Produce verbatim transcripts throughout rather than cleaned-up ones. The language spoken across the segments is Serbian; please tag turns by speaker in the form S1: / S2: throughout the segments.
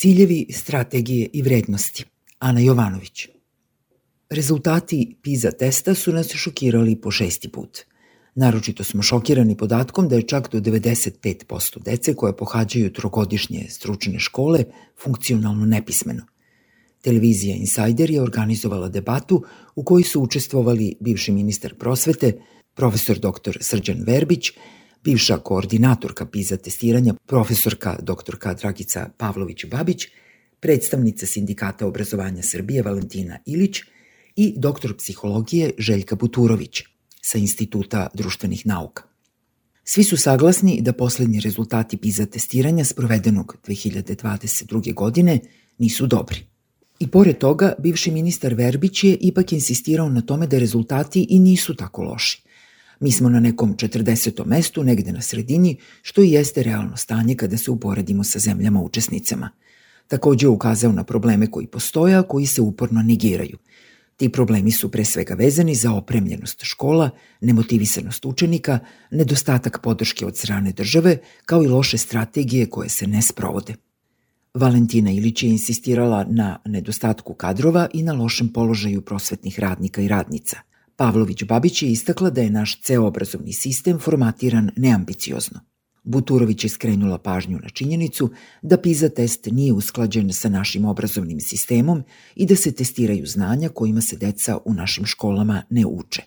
S1: Ciljevi, strategije i vrednosti. Ana Jovanović. Rezultati PISA testa su nas šokirali po šesti put. Naročito smo šokirani podatkom da je čak do devedeset pet posto dece koje pohađaju trogodišnje stručne škole funkcionalno nepismeno. Televizija Insajder je organizovala debatu u kojoj su učestvovali bivši ministar prosvete, profesor doktor Srđan Verbić, bivša koordinatorka PISA testiranja, profesorka doktorka Dragica Pavlović-Babić, predstavnica Sindikata obrazovanja Srbije Valentina Ilić i doktor psihologije Željka Buturović sa Instituta društvenih nauka. Svi su saglasni da poslednji rezultati PISA testiranja sprovedenog dve hiljade dvadeset druge. godine nisu dobri. I pored toga, bivši ministar Verbić je ipak insistirao na tome da rezultati i nisu tako loši. Mi smo na nekom četrdesetom mestu, negde na sredini, što i jeste realno stanje kada se uporedimo sa zemljama učesnicama. Takođe je ukazao na probleme koji postoje, a koji se uporno negiraju. Ti problemi su pre svega vezani za opremljenost škola, nemotivisanost učenika, nedostatak podrške od strane države, kao i loše strategije koje se ne sprovode. Valentina Ilić je insistirala na nedostatku kadrova i na lošem položaju prosvetnih radnika i radnica. Pavlović-Babić je istakla da je naš ceo obrazovni sistem formatiran neambiciozno. Buturović je skrenula pažnju na činjenicu da PISA test nije usklađen sa našim obrazovnim sistemom i da se testiraju znanja kojima se deca u našim školama ne uče.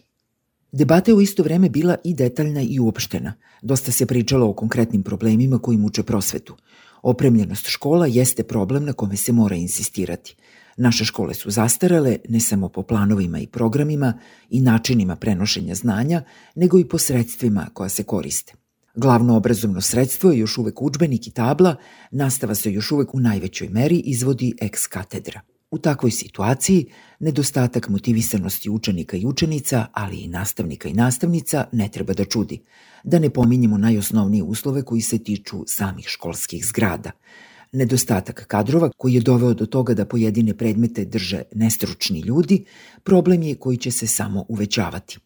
S1: Debata je u isto vreme bila i detaljna i uopštena. Dosta se pričalo o konkretnim problemima koji muče prosvetu. Opremljenost škola jeste problem na kome se mora insistirati. Naše škole su zastarele ne samo po planovima i programima i načinima prenošenja znanja, nego i po sredstvima koja se koriste. Glavno obrazovno sredstvo je još uvek udžbenik i tabla, nastava se još uvek u najvećoj meri izvodi ex katedra. U takvoj situaciji, nedostatak motivisanosti učenika i učenica, ali i nastavnika i nastavnica, ne treba da čudi. Da ne pominjemo najosnovnije uslove koji se tiču samih školskih zgrada. Nedostatak kadrova koji je doveo do toga da pojedine predmete drže nestručni ljudi, problem je koji će se samo uvećavati.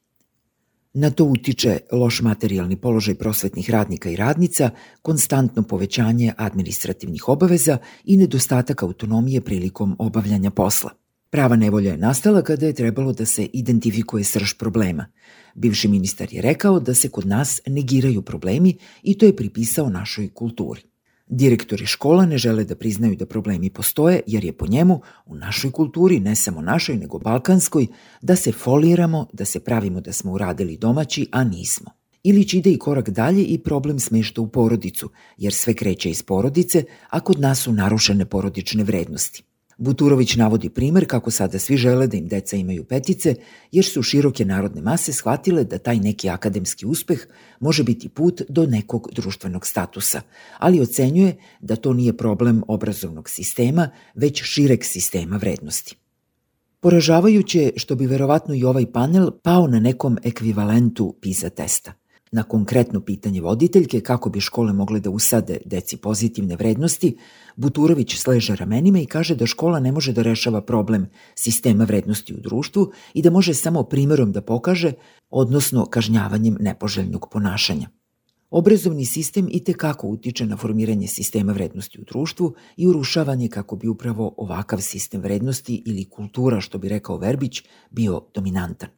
S1: Na to utiče loš materijalni položaj prosvetnih radnika i radnica, konstantno povećanje administrativnih obaveza i nedostatak autonomije prilikom obavljanja posla. Prava nevolja je nastala kada je trebalo da se identifikuje srž problema. Bivši ministar je rekao da se kod nas negiraju problemi i to je pripisao našoj kulturi. Direktori škola ne žele da priznaju da problemi postoje jer je po njemu u našoj kulturi, ne samo našoj nego balkanskoj, da se foliramo, da se pravimo da smo uradili domaći, a nismo. Ilić ide i korak dalje i problem smešta u porodicu, jer sve kreće iz porodice, a kod nas su narušene porodične vrednosti. Buturović navodi primer kako sada svi žele da im deca imaju petice, jer su široke narodne mase shvatile da taj neki akademski uspeh može biti put do nekog društvenog statusa, ali ocenjuje da to nije problem obrazovnog sistema, već šireg sistema vrednosti. Poražavajuće što bi verovatno i ovaj panel pao na nekom ekvivalentu PISA testa. Na konkretno pitanje voditeljke kako bi škole mogle da usade deci pozitivne vrednosti, Buturović sleže ramenima i kaže da škola ne može da rešava problem sistema vrednosti u društvu i da može samo primerom da pokaže, odnosno kažnjavanjem nepoželjnog ponašanja. Obrazovni sistem i tekako utiče na formiranje sistema vrednosti u društvu i urušavanje kako bi upravo ovakav sistem vrednosti ili kultura, što bi rekao Verbić, bio dominantan.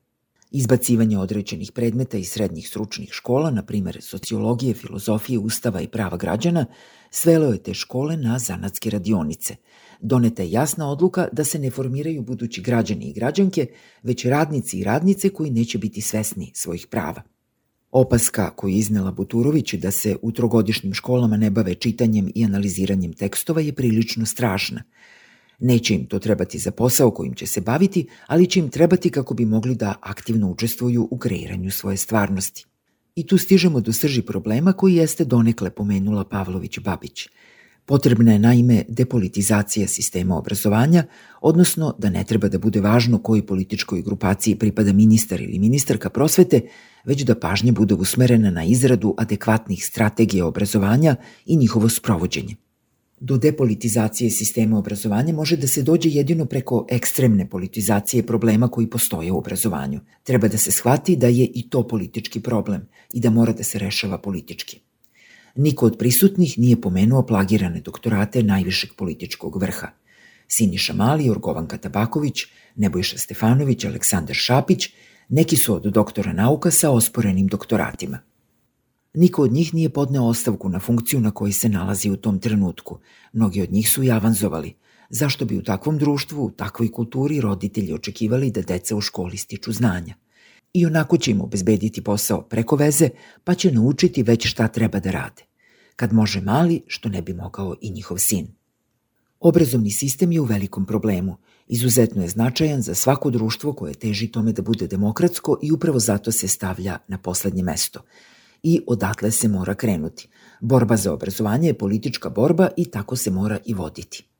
S1: Izbacivanje određenih predmeta iz srednjih stručnih škola, na primer sociologije, filozofije, ustava i prava građana, svelo je te škole na zanatske radionice. Doneta je jasna odluka da se ne formiraju budući građani i građanke, već radnici i radnice koji neće biti svesni svojih prava. Opaska koju je iznela Buturović da se u trogodišnjim školama ne bave čitanjem i analiziranjem tekstova je prilično strašna. Neće im to trebati za posao kojim će se baviti, ali će im trebati kako bi mogli da aktivno učestvuju u kreiranju svoje stvarnosti. I tu stižemo do srži problema koji jeste donekle pomenula Pavlović-Babić. Potrebna je naime depolitizacija sistema obrazovanja, odnosno da ne treba da bude važno kojoj političkoj grupaciji pripada ministar ili ministarka prosvete, već da pažnja bude usmerena na izradu adekvatnih strategija obrazovanja i njihovo sprovođenje. Do depolitizacije sistema obrazovanja može da se dođe jedino preko ekstremne politizacije problema koji postoje u obrazovanju. Treba da se shvati da je i to politički problem i da mora da se rešava politički. Niko od prisutnih nije pomenuo plagirane doktorate najvišeg političkog vrha. Siniša Mali, Jorgovanka Tabaković, Nebojša Stefanović, Aleksandar Šapić, neki su od doktora nauka sa osporenim doktoratima. Niko od njih nije podneo ostavku na funkciju na kojoj se nalazi u tom trenutku. Mnogi od njih su i avanzovali. Zašto bi u takvom društvu, u takvoj kulturi roditelji očekivali da deca u školi stiču znanja? I onako će im obezbediti posao preko veze, pa će naučiti već šta treba da rade. Kad može Mali, što ne bi mogao i njihov sin. Obrazovni sistem je u velikom problemu. Izuzetno je značajan za svako društvo koje teži tome da bude demokratsko i upravo zato se stavlja na poslednje mesto. I odatle se mora krenuti. Borba za obrazovanje je politička borba i tako se mora i voditi.